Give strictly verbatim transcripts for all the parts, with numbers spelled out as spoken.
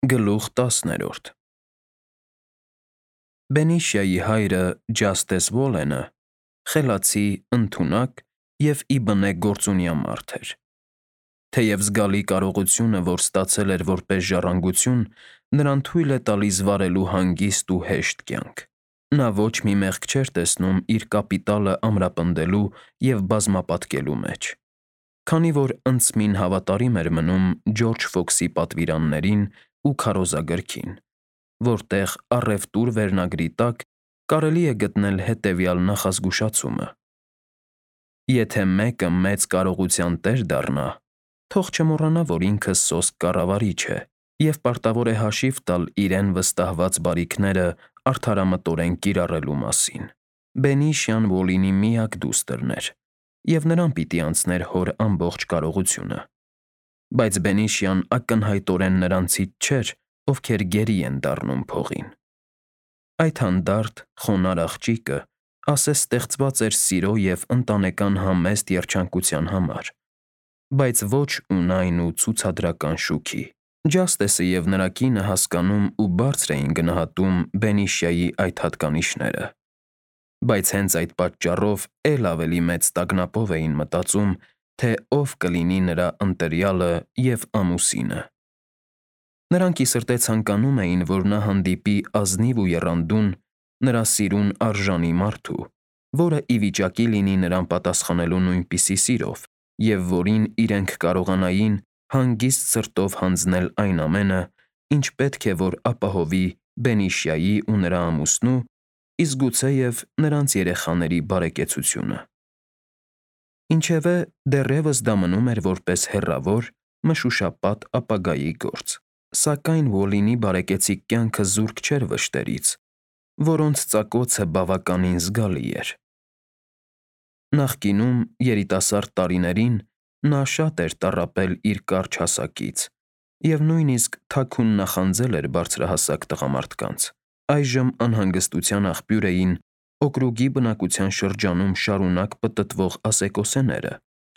Գլուխ տասներորդ Բենիշիայի հայրը Ջաստես Ուոլենը խելացի, ընդունակ և ի բնե գործունյա մարդ էր։ Թեև զգալի կարողությունը, որ ստացել էր որպես ժառանգություն, նրան թույլ է տալիս վարելու հանգիստ ու հեշտ կյանք։ Նա ոչ մի մեղք չէր տեսնում իր կապիտալը ամրապնդելու և բազմապատկելու մեջ։ Քանի որ ընդսմին հավատարիմ էր մնում Ջորջ Ֆոքսի պատվիրաններին ու քարոզագրքին, որտեղ առևտուր վերնագրի տակ կարելի է գտնել հետևյալ նախազգուշացումը. «Եթե մեկը մեծ կարողության տեր դառնա, թող չմոռանա, որ ինքը սոսկ կառավարիչ է և պարտավոր է հաշիվ տալ իրեն վստահված բարիքները արդարամտորեն կիրառելու մասին»։ Բենիշիան Ուոլինի միակ դուստրն էր, և նրան պիտի անցներ հոր ամբողջ կարողությունը։ Բայց Բենիշիան ակնհայտորեն նրանցից չէր, ովքեր գերի են դառնում փողին։ Այդ հանդարտ, խոնարհ աղջիկը ասես ստեղծված էր սիրո և ընտանեկան համեստ երջանկության համար, բայց ոչ ունայն ու ցուցադրական շուքի։ Ջաստեսը և նրա կինը հասկանում ու բարձր էին գնահատում Բենիշիայի այդ հատկանիշները, բայց հենց այդ պատճառով էլ ավելի մեծ տագնապով էին մտածում, թե ով կլինի նրա ընտրյալը և ամուսինը։ Նրանք ի սրտե ցանկանում էին, որ նա հանդիպի ազնիվ ու եռանդուն, նրա սիրուն արժանի մարդու, որը ի վիճակի լինի նրան պատասխանելու նույնպիսի սիրով, և որին իրենք կարողանային հանգիստ սրտով հանձնել այն ամենը, ինչ պետք է որ ապահովի Բենիշիայի ու նրա ամուսնու, իսկ գուցեև նրանց երեխաների բարեկեցությունը։ Ինչևէ, դեռևս դա մնում էր որպես հեռավոր, մշուշապատ ապագայի գործ, սակայն Ուոլինի բարեկեցիկ կյանքը զուրկ չէր վշտերից, որոնց ծակոցը բավականին զգալի էր։ Նախկինում, երիտասարդ տարիներին, նա շատ էր տառապել իր կարճ հասակից և նույնիսկ թաքուն նախանձել էր բարձրահասակ տղամարդկանց։ Այժմ անհանգստության աղբյուր էին օկրուգի բնակության շրջանում շարունակ պտտվող ասեկոսեները։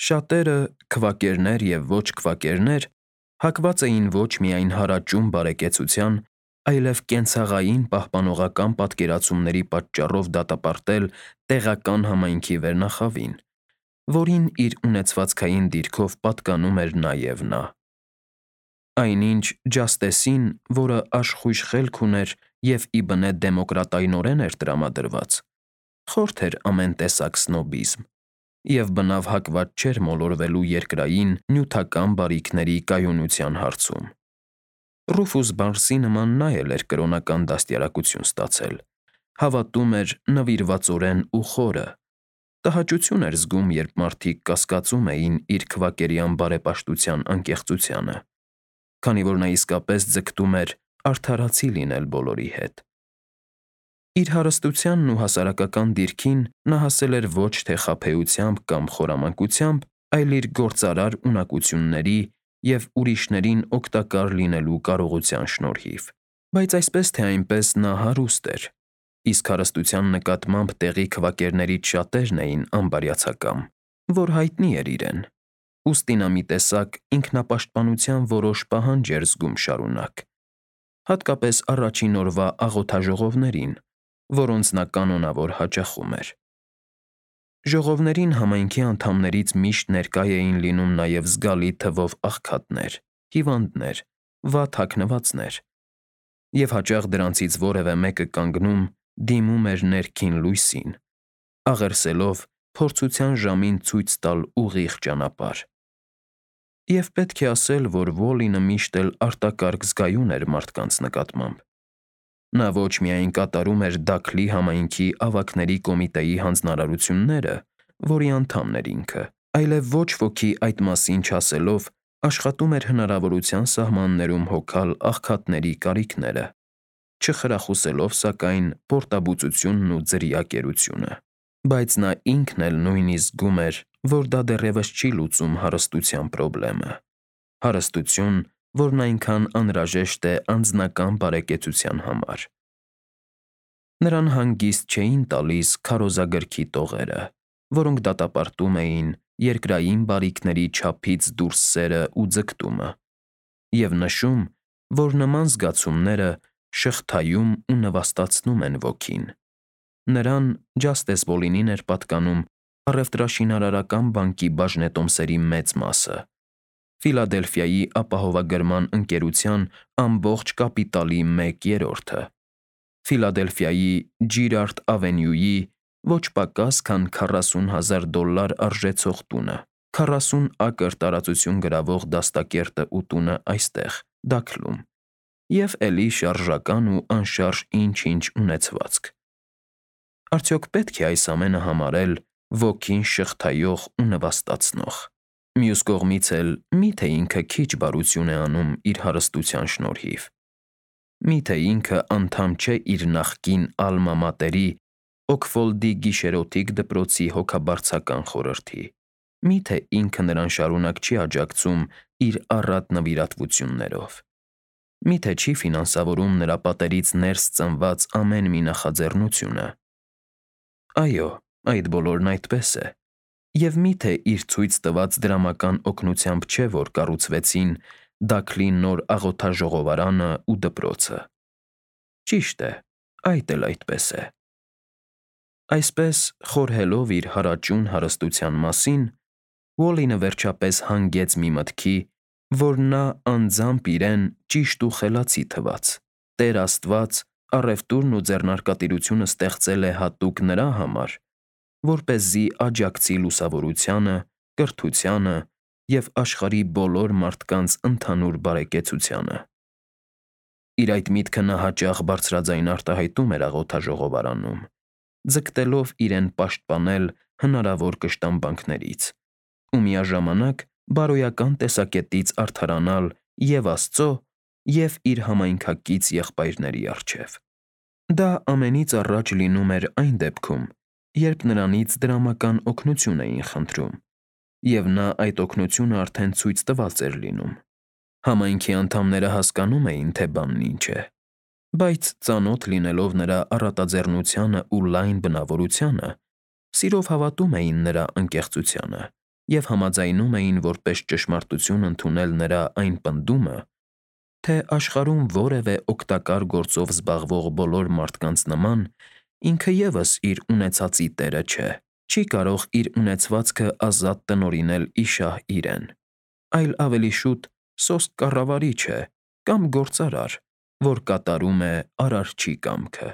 Շատերը, քվակերներ և ոչ քվակերներ, հակված էին ոչ միայն հարաճուն բարեկեցության, այլև կենցաղային պահպանողական պատկերացումների պատճառով դատապարտել տեղական համայնքի վերնախավին, որին իր ունեցվածքային դիրքով պատկանում էր նաև նա։ Այնինչ Ջաստեսին, որը աշխույժ խելք ուներ և ի բնե դեմոկրատայնորեն էր տրամադրված, խորթ էր ամեն տեսակ սնոբիզմ և բնավ հակված չէր մոլորվելու երկրային, նյութական բարիքների կայունության հարցում։ Ռուֆուս Բարսի նման նա էլ էր կրոնական դաստիարակություն ստացել, հավատում էր նվիրվածորեն ու խորը, տհաճություն էր զգում, երբ մարդիկ կասկածում էին իր քվակերյան բարեպաշտության անկեղծությանը, քանի որ նա իսկապես ձգտում էր արդարացի լինել բոլորի հետ։ Իր հարստությանն ու հասարակական դիրքին նա հասել էր ոչ թե խաբեությամբ կամ խորամանկությամբ, այլ իր գործարար ունակությունների և ուրիշներին օգտակար լինելու կարողության շնորհիվ։ Բայց այսպես թե այնպես նա հարուստ էր, իսկ հարստության նկատմամբ տեղի քվակերներից շատերն էին անբարյացակամ, որ հայտնի էր իրեն, ուստի նա մի տեսակ ինքնապաշտպանության որոշ պահանջ էր զգում շարունակ, հատկապես առաջին օրվա աղոթաժողովներին, որոնց նա կանոնավոր հաճախում էր։ Ժողովներին համայնքի անդամներից միշտ ներկա էին լինում նաև զգալի թվով աղքատներ, հիվանդներ, վատ հագնվածներ, և հաճախ դրանցից որևէ մեկը կանգնում, դիմում էր ներքին լույսին, աղերսելով փորձության ժամին ցույց տալ ուղիղ ճանապարհ։ Եվ պետք է ասել, որ Ուոլինը միշտ էլ արտակարգ զգայուն էր մարդկանց նկատմամբ։ Նա ոչ միայն կատարում էր Դաքլի համայնքի ավագների կոմիտեի հանձնարարությունները, որի անդամն էր ինքը, այլև ոչ ոքի այդ մասին չասելով աշխատում էր հնարավորության սահմաններում հոգալ աղքատների կարիքները, չխրախուսելով, սակայն, պորտաբուծությունն ու ձրիակերությունը։ Բայց նա ինքն էլ նույնիսկ զգում էր, որ դա դեռևս չի լուծում հարստության պրոբլեմը, հարստություն, որն այնքան անհրաժեշտ է անձնական բարեկեցության համար։ Նրան հանգիստ չէին տալիս քարոզագրքի տողերը, որոնք դատապարտում էին երկրային բարիքների չափից դուրս սերն ու ձգտումը, և նշում, որ նման զգացումները շղթայում ու նվաստացնում են ոգին։ Նրան Ջաստես Բոլինին էր պատկանում առևտրաշինարարական բանկի բաժնետոմսերի մեծ մասը, Ֆիլադելֆիայի ապահովագրման ընկերության ամբողջ կապիտալի մեկ երրորդը, Ֆիլադելֆիայի Ջիրարդ Ավենյուի ոչ պակաս քան քառասուն հազար դոլար արժեցող տունը, քառասուն ակր տարածություն գրավող դաստակերտը ու տունը այստեղ, Դաքլում, և էլի շարժական ու անշարժ ինչ-ինչ ունեցվածք։ Արդյոք պետք է այս ամենը համարել ոգին շղթայող ու նվաստացնող։ Մյուս կողմից էլ մի՞թե ինքը քիչ բարություն է անում իր հարստության շնորհիվ։ Մի՞թե ինքը անդամ չէ իր նախկին ալմա մատերի՝ Օքֆոլդի գիշերօթիկ դպրոցի հոգաբարձական խորհրդի։ Մի՞թե ինքը նրան շարունակ չի աջակցում իր առատ նվիրատվություններով։ Մի՞թե չի ֆինանսավորում նրա պատերից ներս ծնված ամեն մի նախաձեռնությունը։ Այո, այդ բոլորն այդպես է։ Եվ մի՞թե իր ցույց տված դրամական օգնությամբ չէ, որ կառուցվեցին Դաքլի նոր աղոթաժողովարանը ու դպրոցը։ Ճիշտ է, այդ էլ այդպես է։ Այսպես, խորհելով իր հարաճուն հարստության մասին, Ուոլլինը վերջապես հանգեց մի մտքի, որ նա անձամբ իրեն ճիշտ ու խելացի թվաց։ Տեր Աստված առևտուրն ու ձեռնարկատիրությունը ստեղծել է հատուկ նրա համար, որպեսզի աջակցի լուսավորությանը, կրթությանը և աշխարհի բոլոր մարդկանց ընդհանուր բարեկեցությանը։ Իր այդ միտքը նա հաճախ բարձրաձայն արտահայտում էր աղոթաժողովարանում, ձգտելով իրեն պաշտպանել հնարավոր կշտամբանքներից ու միաժամանակ բարոյական տեսակետից արդարանալ և՛ Աստծո, և՛ իր համայնքակից եղբայրների առջև։ Դա ամենից առաջ լինում էր այն դեպքում, երբ նրանից դրամական օգնություն էին խնդրում, և նա այդ օգնությունը արդեն ցույց տված էր լինում։ Համայնքի անդամները հասկանում էին, թե բանն ինչ է, բայց ծանոթ լինելով նրա առատաձեռնությանը ու լայն բնավորությանը, սիրով հավատում էին նրա անկեղծությանը և համաձայնում էին որպես ճշմարտություն ընդունել նրա այն պնդումը, թե աշխարհում որևէ օգտակար գործով զբաղվող բոլոր մարդկանց նման ինքը ևս իր ունեցածի տերը չէ, չի կարող իր ունեցվածքը ազատ տնօրինել ի շահ իրեն, այլ ավելի շուտ սոսկ կառավարիչ է կամ գործարար, որ կատարում է Արարչի կամքը։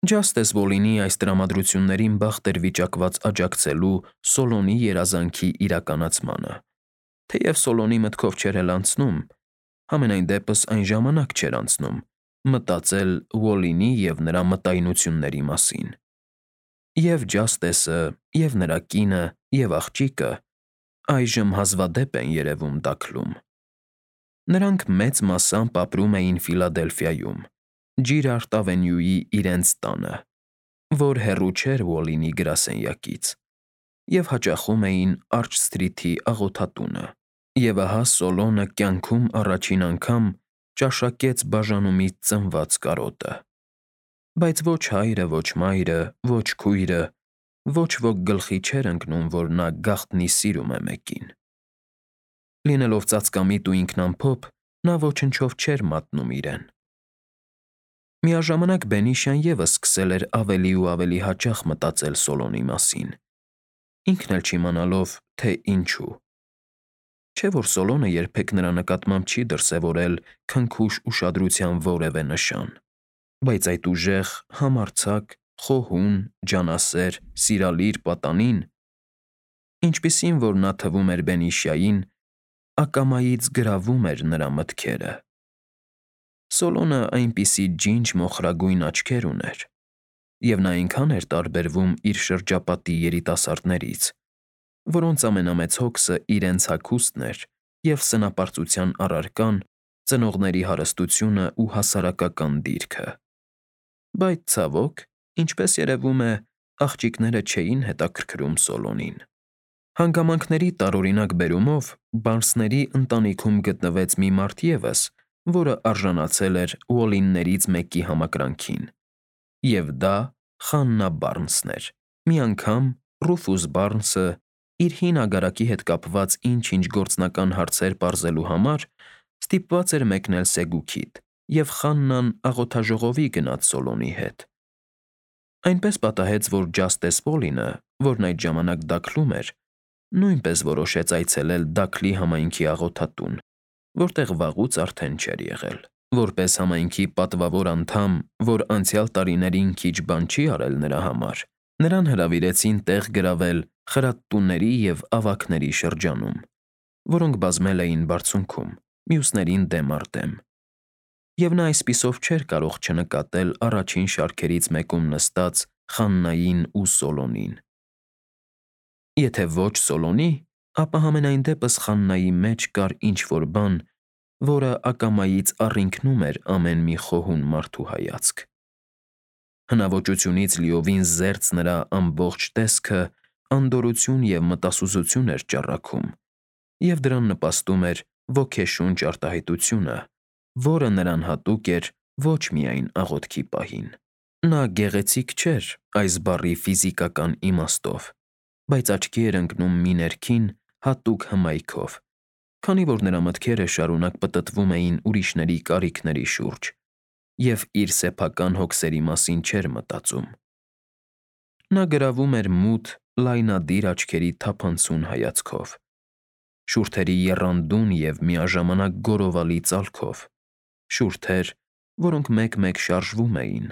Ջաստես Բոլինի այս տրամադրություններին բախտ էր վիճակված աջակցելու Սոլոնի երազանքի իրականացմանը, թեև Սոլոնի մտքով չէր էլ անցնում, համենայն դեպս այն ժամանակ չէր անցնում, մտածել Ուոլլինի և նրա մտայնությունների մասին։ Եվ Ջաստեսը, և նրա կինը, և աղջիկը այժմ հազվադեպ են երևում Դաքլում։ Նրանք մեծ մասամբ ապրում էին Ֆիլադելֆիայում, Ջիրարդ Ավենյուի իրենց տանը, որ հեռու չէր Ուոլլինի գրասենյակից, և հաճախում էին Արջսթրիթի աղոթատունը։ Եվ ահա Սոլոնը կյանքում առաջին անգամ ճաշակեց բաժանումից ծնված կարոտը։ Բայց ոչ հայրը, ոչ մայրը, ոչ քույրը, ոչ ոք գլխի չէր ընկնում, որ նա գաղտնի սիրում է մեկին։ Լինելով ծածկամիտ ու ինքնամփոփ, նա ոչնչով չէր մատնում իրեն։ Միաժամանակ Բենիշան ևս սկսել էր ավելի ու ավելի հաճախ մտածել Սոլոնի մասին, ինքն էլ չիմանալով, թե ինչու։ Չէ՞ որ Սոլոնը երբեք նրա նկատմամբ չի դրսևորել քնքուշ ուշադրության որևէ նշան, բայց այդ ուժեղ, համարձակ, խոհուն, ջանասեր, սիրալիր պատանին, ինչպիսին որ նա թվում էր Բենիշային, ակամայից գրավում էր նրա մտքերը։ Սոլոնը այնպիսի ջինջ մոխրագույն աչքեր ուներ, և նա այնքան էր տարբերվում իր շրջապատի երիտասարդներից, որոնց ամենամեծ հոգսը իրենց հագուստն էր և սնապարծության առարկան ծնողների հարստությունը ու հասարակական դիրքը։ Բայց, ցավոք, ինչպես երևում է, աղջիկները չէին հետաքրքրում Սոլոնին։ Հանգամանքների տարօրինակ բերումով Բարնսների ընտանիքում գտնվեց մի մարդ ևս, որը արժանացել էր Ուոլլիններից մեկի համակրանքին, և դա Խաննա Բարնսն էր։ Մի անգամ Ռուֆուս Բարնսը իր հին ագարակի հետ կապված ինչ-ինչ գործնական հարցեր պարզելու համար Ստիպված էր մեկնել Սեգուքիդ, և Խաննան աղոթաժողովի գնաց Սոլոնի հետ։ Այնպես պատահեց, որ Ջաստես Պոլինը, որն այդ ժամանակ Դաքլում էր, նույնպես որոշեց այցելել Դաքլի համայնքի աղոթատուն, որտեղ վաղուց արդեն չէր եղել։ Որպես համայնքի պատվավոր անդամ, որ անցյալ տարիներին քիչ բան չի արել նրա համար, նրան հրավիրեցին տեղ գրավել խրատտուների և ավագների շրջանում, որոնք բազմել էին բարձունքում, մյուսներին դեմ առ դեմ։ Եվ նա այսպիսով չէր կարող չնկատել առաջին շարքերից մեկում նստած Խաննային ու Սոլոնին։ Եթե ոչ Սոլոնի, ապա համենայն դեպս Խաննայի մեջ կար ինչ-որ բան, որը ակամայից առինքնում էր ամեն մի խոհուն մարդու հայացք։ Հնաոճությունից լիովին զերծ նրա ամբողջ տեսքը անդորրություն և մտասուզություն էր ճառագում, և դրան նպաստում էր ոգեշունչ արտահայտությունը, որը նրան հատուկ էր ոչ միայն աղոթքի պահին։ Նա գեղեցիկ չէր այս բառի ֆիզիկական իմաստով, բայց աչքի էր ընկնում մի ներքին, հատուկ հմայքով, քանի որ նրա մտքերը շարունակ պտտվում էին ուրիշների կարիքների շուրջ, և իր սեփական հոգսերի մասին չէր մտածում։ Նա գրավում էր մութ, լայնադիր աչքերի թափանցուն հայացքով, շուրթերի եռանդուն և միաժամանակ գորովալի ծալքով, շուրթեր, որոնք մեկ-մեկ շարժվում էին,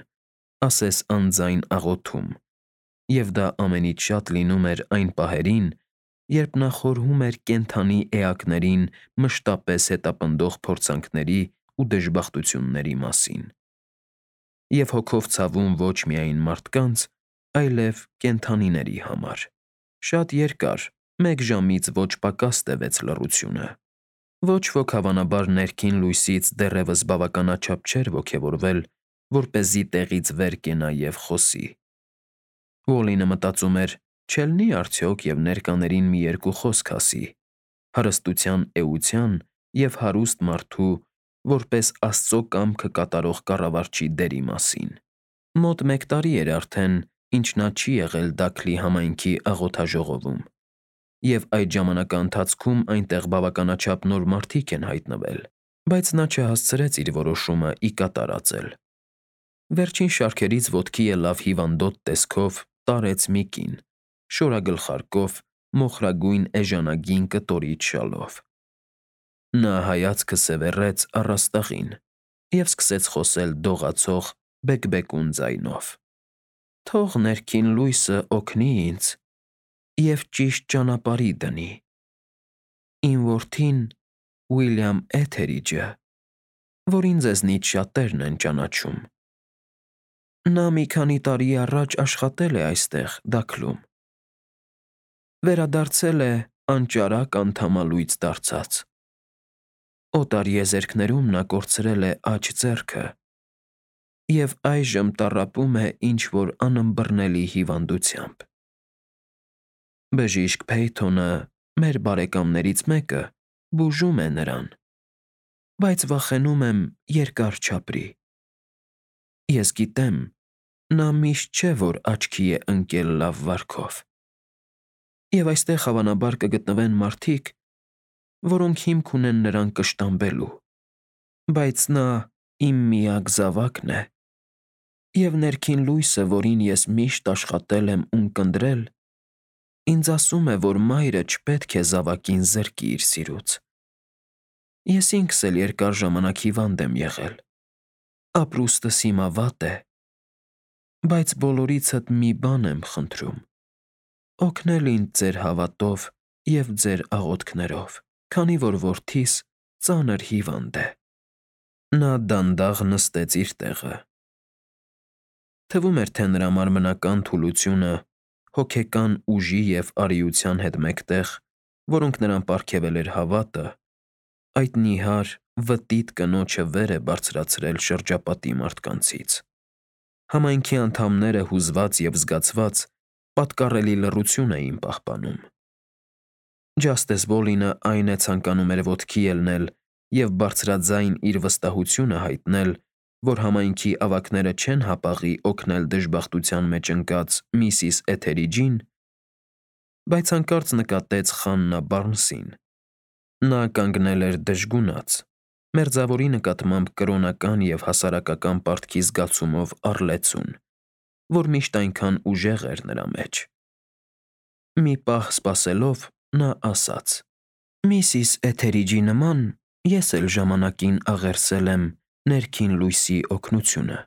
ասես անձայն աղոթում, և դա ամենից շատ լինում էր այն պահերին, երբ նա խորհում էր կենդանի էակներին մշտապես հետապնդող փորձանքների ու դժբախտությունների մասին, և հոգով ցավում ոչ միայն մարդկանց, այլև կենդանիների համար։ Շատ երկար, մեկ ժամից ոչ պակաս տևեց լռությունը։ Ոչ ոք հավանաբար ներքին լույսից դեռևս բավականաչափ չէր ոգևորվել, որպեսզի տեղից վեր կենա և խոսի։ Ուոլլինը մտածում էր. չելնի՞ արդյոք և ներկաներին մի երկու խոսք ասի, հարստության էության և հարուստ մարդու, որպես Աստծո կամքը կատարող կառավարչի դերի մասին։ Մոտ մեկ տարի էր արդեն, ինչ նա չի եղել Դաքլի համայնքի աղոթաժողովում, և այդ ժամանակաընթացքում այնտեղ բավականաչափ նոր մարդիկ են հայտնվել, բայց նա չհասցրեց իր որոշումը ի կատար ածել։ Վերջին շարքերից ոտքի ելավ հիվանդոտ տեսքով տարեց մի կին, շորագլխարկով, մոխրագույն էժանագին կտորիչ շալով։ Նա հայացքը սևեռեց առաստաղին և սկսեց խոսել դողացող, բեկբեկուն ձայնով. «Թող ներքին լույսը օգնի ինձ և ճիշտ ճանապարհի դնի։ Իմ որդին՝ Ուիլյամ Էթերիջը, որին ձեզնից շատերն են ճանաչում։ Նա մի քանի տարի առաջ աշխատել է այստեղ Դաքլում։ Վերադարձել է անճարակ անդամալույծ դարձած։ Օտարեզերքներում նա կորցրել է աջ ձեռքը և այժմ տառապում է ինչ-որ անըմբռնելի հիվանդությամբ։ Բժիշկ Փեյթոնը, մեր բարեկամներից մեկը, բուժում է նրան, բայց վախենում եմ երկար չապրի։ Ես գիտեմ, նա միշտ չէ, որ աչքի է ընկել լավ վարքով, և այստեղ հավանաբար կգտնվեն մարդիկ, որոնք հիմք ունեն նրան կշտամբելու, բայց նա իմ միակ զավակն է, և ներքին լույսը, որին ես միշտ աշխատել եմ ու ունկնդրել, ինձ ասում է, որ մայրը չպետք է զավակին զրկի իր սիրուց։ Ես ինքս էլ երկար ժամանակ հիվանդ եմ եղել, ապրուստս հիմա վատ է, բայց բոլորիցդ մի բան եմ խնդրում. օգնել ինձ ձեր հավատով և ձեր աղոթքներով, քանի որ որդիս ծանր հիվանդ է»։ Նա դանդաղ նստեց իր տեղը։ Թվում էր, թե նրա մարմնական թուլությունը հոգեկան ուժի և արիության հետ մեկտեղ, որոնք նրան պարգևել էր հավատը, այդ նիհար, վտիտ կնոջը վեր է բարձրացրել շրջապատի մարդկանցից։ Համայնքի անդամները հուզված և զգացված, պատկառելի լռություն էին պահպանում։ Ջաստես Պոլինը այն է ցանկանում էր ոտքի ելնել և բարձրաձայն իր վստահությունը հայտնել, որ համայնքի ավագները չեն հապաղի օգնել դժբախտության մեջ ընկած միսիս Էթերիջին, բայց հանկարծ նկատեց Խաննա Բարնսին։ Նա կանգնել էր դժգունած, Մերձավորի նկատմամբ կրոնական և հասարակական պարտքի զգացումով առլեցուն, որ միշտ այնքան ուժեղ էր նրա մեջ։ Մի պահ սպասելով, նա ասաց. «Միսիս Էթերիջի նման ես էլ ժամանակին աղերսել եմ ներքին լույսի օգնությունը,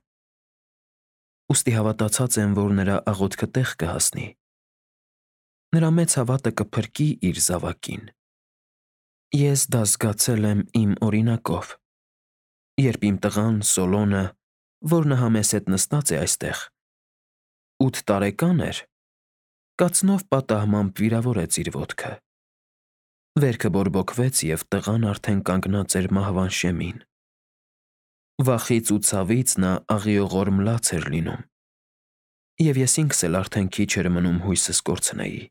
ուստի հավատացած եմ, որ նրա աղոթքը տեղ կհասնի։ Նրա մեծ հավատը կփրկի իր զավակին։ Ես դա զգացել եմ իմ օրինակով, երբ իմ տղան Սոլոնը, որ նահա մեզ հետ նստած է այստեղ, ութ տարեկան էր, կացնով պատահմամբ վիրավորեց իր ոտքը։ Վերքը բորբոքվեց, և տղան արդեն կանգնած էր մահվան շեմին։ Վախից ու ցավից նա աղիողորմ լաց էր լինում, և ես ինքս էլ արդեն քիչ էր մնում հույսս կորցնեի։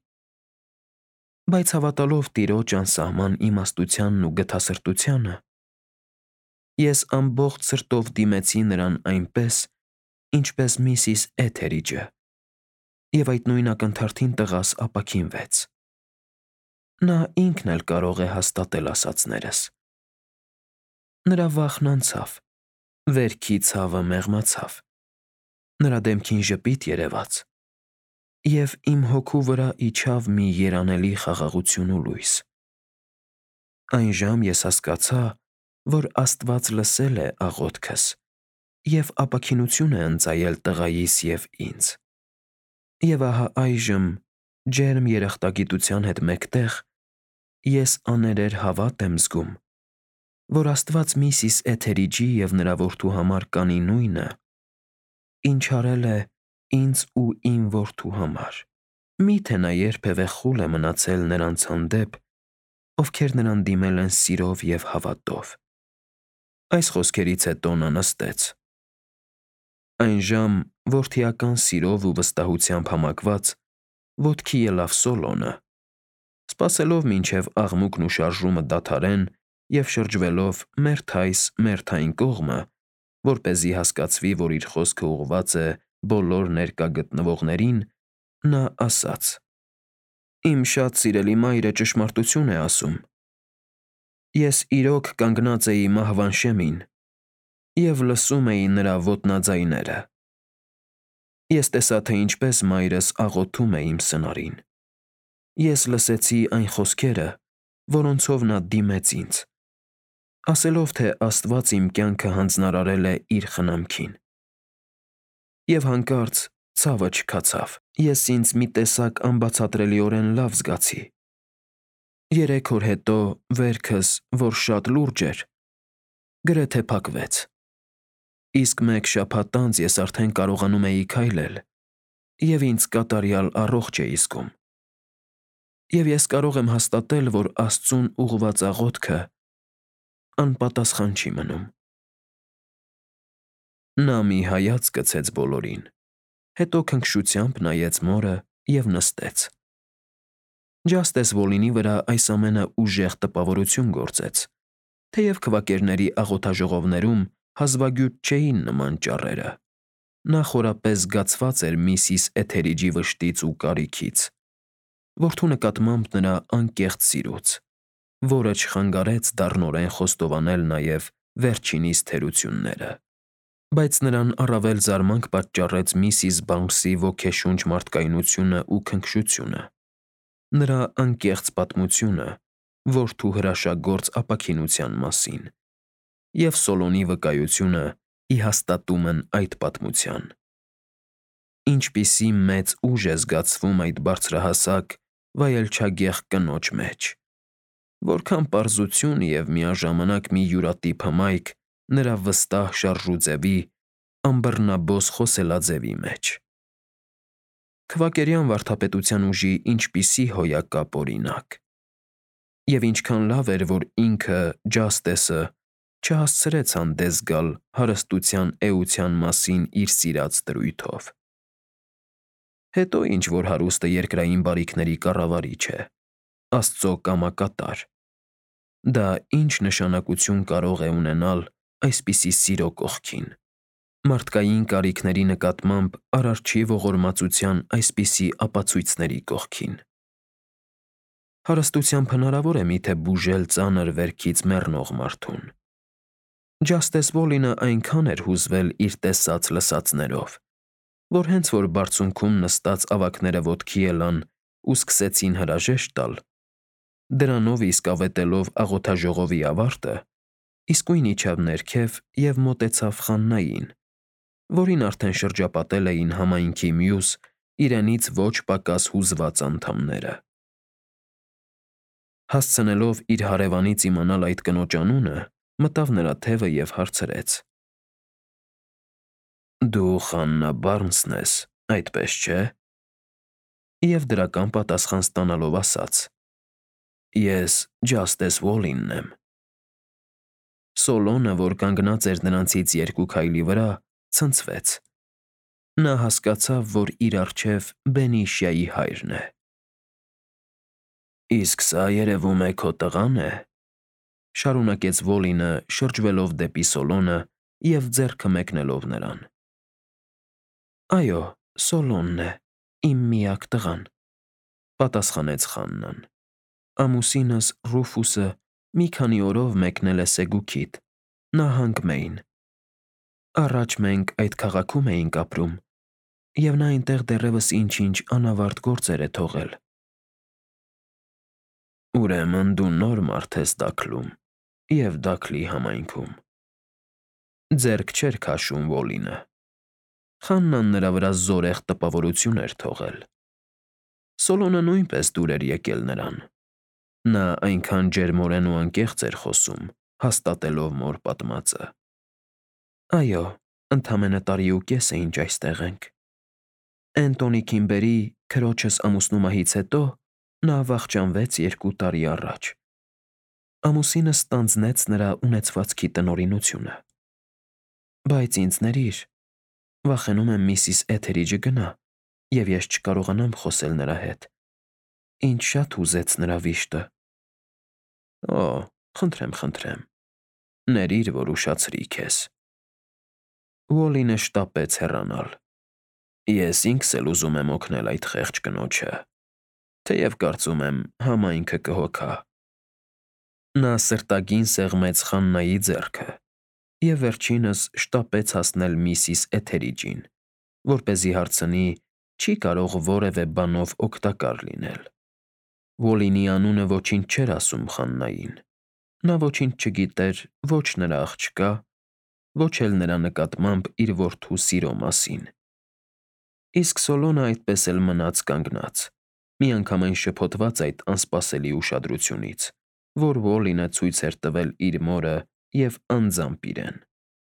Բայց հավատալով Տիրոջ անսահման իմաստությանն ու գթասրտությանը, ես ամբողջ սրտով դիմեցի նրան այնպես, ինչպես միսիս Էթերիջը, և այդ նույն ակնթարթին տղաս ապաքինվեց։ Նա ինքն էլ կարող է հաստատել ասածներս։ Նրա վախն անցավ, վերքի ցավը մեղմացավ, նրա դեմքին ժպիտ երևաց, և իմ հոգու վրա իջավ մի երանելի խաղաղություն ու լույս։ Այն ժամ ես հասկացա, որ Աստված լսել է աղոթքս և ապաքինություն է ընծայել տղայիս և ինձ։ Եվ ահա այժմ, ջերմ երախտագիտության հետ մեկտեղ, ես աներեր հավատ եմ զգում, որ Աստված միսիս Էթերիջի և նրա որդու համար կանի նույնը, ինչ արել է ինձ ու իմ որդու համար։ Մի՞թե նա երբևէ խուլ է մնացել նրանց հանդեպ, ովքեր նրան դիմել են սիրով և հավատով»։ Այս խոսքերից հետո նա նստեց։ Այն ժամ, որդիական սիրով ու վստահությամբ համակված, ոտքի ելավ Սոլոնը, սպասելով մինչև աղմուկն ու շարժումը դադարեն և շրջվելով մերթ այս, մերթ այն կողմը, որպեսզի հասկացվի, որ իր խոսքը ուղղված է բոլոր ներկա գտնվողներին, նա ասաց. «Իմ շատ սիրելի մայրը ճշմարտություն է ասում։ Ես իրոք կանգնած էի մահվան շեմին և լսում էի նրա ոտնաձայները։ Ես տեսա, թե ինչպես մայրս աղոթում է իմ սնարին։ Ես լսեցի այն խոսքերը, որոնցով նա դիմեց ինձ, ասելով, թե Աստված իմ կյանքը հանձնարարել է իր խնամքին։ Եվ հանկարծ ցավը չքացավ, ես ինձ մի տեսակ անբացատրելիորեն լավ զգացի։ Երեք օր հետո վերքս, որ շատ լուրջ էր, գրեթե փակվեց, իսկ մեկ շաբաթ անց ես արդեն կարողանում էի քայլել և ինձ կատարյալ առողջ էի զգում։ Եվ ես կարող եմ հաստատել, որ Աստծուն ուղղված աղոթքը անպատասխան չի մնում»։ Նա մի հայացք գցեց բոլորին, հետո քնքշությամբ նայեց մորը և նստեց։ Ջաստես Վոլինի վրա այս ամենը ուժեղ տպավորություն գործեց, թեև քվակերների աղոթաժողովներում հազվագյուտ չէին նման ճառերը։ Նա խորապես զգացված էր միսիս Էթերիջի վշտից ու կարիքից, որդու նկատմամբ նրա անկեղծ սիրուց, որը չխանգարեց դառնորեն խոստովանել նաև վերջինիս թերությունները։ Բայց նրան առավել զարմանք պատճառեց միսիս Բանկսի ոգեշունչ մարդկայնությունն ու քնքշությունը, նրա անկեղծ պատմությունը որդու հրաշագործ ապաքինության մասին և Սոլոնի վկայությունը ի հաստատումն այդ պատմության։ Ինչպիսի մեծ ուժ է զգացվում այդ բարձրահասակ, վայելչագեղ կնոջ մեջ, որքան պարզություն և միաժամանակ մի յուրատիպ հմայք նրա վստահ շարժուձևի, անբռնաբոս խոսելաձևի մեջ։ Քվակերյան վարդապետության ուժի ինչպիսի հոյակապ օրինակ։ Եվ ինչքան լավ էր, որ ինքը՝ Ջաստեսը, չհասցրեց հանդես գալ հարստության էության մասին իր սիրած դրույթով։ Հետո ինչ որ հարուստը երկրային բարիքների կառավարիչ է, Աստծո կամակատար, դա ինչ նշանակություն կարող է ունենալ այսպիսի սիրո կողքին, մարդկային կարիքների նկատմամբ Արարչի ողորմածության այսպիսի ապացույցների կողքին։ Հարստությամբ հնարավոր է միթե բուժել ծանր վերքից մեռնող մարդուն։ Ջաստես Վոլինը այնքան էր հուզվել իր տեսած-լսածներով, որ հենց որ բարձունքում նստած ավագները ոտքի ելան ու սկսեցին հրաժեշտ տալ, դրանով իսկ ավետելով աղոթաժողովի ավարտը, իսկույն իջավ ներքև և մոտեցավ Խաննային, որին արդեն շրջապատել էին համայնքի մյուս, իրենից ոչ պակաս հուզված անդամները։ Հասցնելով իր հարևանից իմանալ այդ կնոջ անունը, մտավ նրա թևը և հարցրեց. «Դու Խաննա Բարնսն ես, այդպես չէ»։ Եվ դրական պատասխան ստանալով ասաց. «Ես Ջաստես Վոլինն եմ»։ Սոլոնը, որ կանգնած էր նրանցից երկու քայլի վրա, ցնցվեց. նա հասկացավ, որ իր առջև Բենիշիայի հայրն է։ «Իսկ սա, երևում է, քո տղան է», ֊ շարունակեց Վոլինը, շրջվելով դեպի Սոլոնը և ձեռքը մեկնելով նրան։ «Այո, Սոլոնն է, իմ միակ տղան», ֊ պատասխանեց Խաննան։ «Ամուսինս Ռուֆուսը մի քանի օրով մեկնել է Սեգուքիդ, նահանգ Մեյն։ Առաջ մենք այդ քաղաքում էինք ապրում, և նա այնտեղ դեռևս ինչ֊ինչ անավարտ գործեր է թողել»։ «Ուրեմն դու նոր մարդ ես Դաքլում և Դաքլի համայնքում», ֊ ձեռք չէր քաշում Վոլինը։ Խաննան նրա վրա զորեղ տպավորություն էր թողել։ Սոլոնը նույնպես դուր էր եկել նրան։ Նա այնքան ջերմորեն ու անկեղծ էր խոսում, հաստատելով մոր պատմածը։ «Այո, ընդամենը տարի ու կես է, ինչ այստեղ ենք։ Էնտոնի Քիմբերի՝ քրոջս ամուսնու մահից հետո նա վախճանվեց երկու տարի առաջ։ Ամուսինս ստանձնեց նրա ունեցվածքի տնօրինությունը։ Բայց ինձ ներիր, վախենում եմ միսիս Էթերիջը գնա, և ես չկարողանամ խոսել նրա հետ։ Ինձ շատ հուզեց նրա վիշտը»։ «Օ, խնդրեմ, խնդրեմ, ներիր, որ ուշացրի քեզ»։ Վոլինը շտապեց հեռանալ։ «Ես ինքս էլ ուզում եմ օգնել այդ խեղճ կնոջը, թեև կարծում եմ համայնքը կհոգա»։ Նա սրտագին սեղմեց Խաննայի ձեռքը և վերջինս շտապեց հասնել միսիս Էթերիջին, որպեսզի հարցնի՝ չի՞ կարող որևէ բանով օգտակար լինել։ Վոլինի անունը ոչինչ չէր ասում Խաննային։ Նա ոչինչ չգիտեր ոչ նրա աղջկա, ոչ էլ նրա նկատմամբ իր որդու սիրո մասին։ Իսկ Սոլոնը այդպես էլ մնաց կանգնած, միանգամայն շփոթված այդ անսպասելի ուշադրությունից, որ Վոլինը ցույց էր տվել իր մորը և անձամբ իրեն։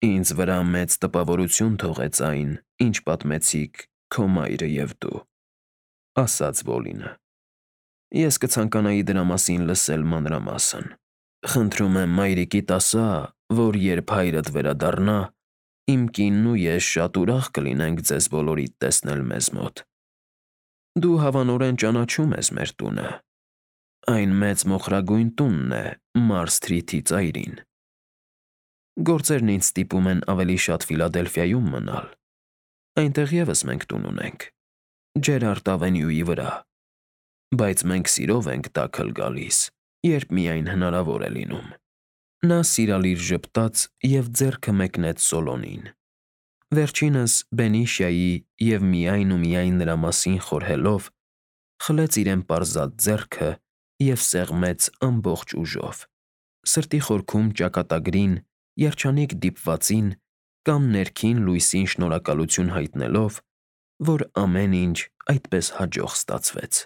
«Ինձ վրա մեծ տպավորություն թողեց այն, ինչ պատմեցիք քո մայրը և դու», ֊ ասաց Վոլինը։ «Ես կցանկանայի դրա մասին լսել մանրամասն։ Խնդրում եմ մայրիկիդ ասա, որ երբ հայրդ վերադառնա, իմ կինն ու ես շատ ուրախ կլինենք ձեզ բոլորիդ տեսնել մեզ մոտ։ Դու հավանորեն ճանաչում ես մեր տունը։ Այն մեծ մոխրագույն տունն է Մարս Սթրիթի ծայրին։ Գործերն ինձ ստիպում են ավելի շատ Ֆիլադելֆիայում մնալ։ Այնտեղ ևս մենք տուն ունենք, Ջերարդ Ավենյուի վրա, բայց մենք սիրով ենք Դաքլ գալիս, երբ միայն հնարավոր է լինում»։ Նա սիրալիր ժպտաց և ձեռքը մեկնեց Սոլոնին։ Վերջինս Բենիշիայի և միայն ու միայն նրա մասին խորհելով, խլեց իրեն պարզած ձեռքը և սեղմեց ամբողջ ուժով, սրտի խորքում ճակատագրին, երջանիկ դիպվածին կամ ներքին լույսին շնորհակալություն հայտնելով, որ ամեն ինչ այդպես հաջող ստացվեց։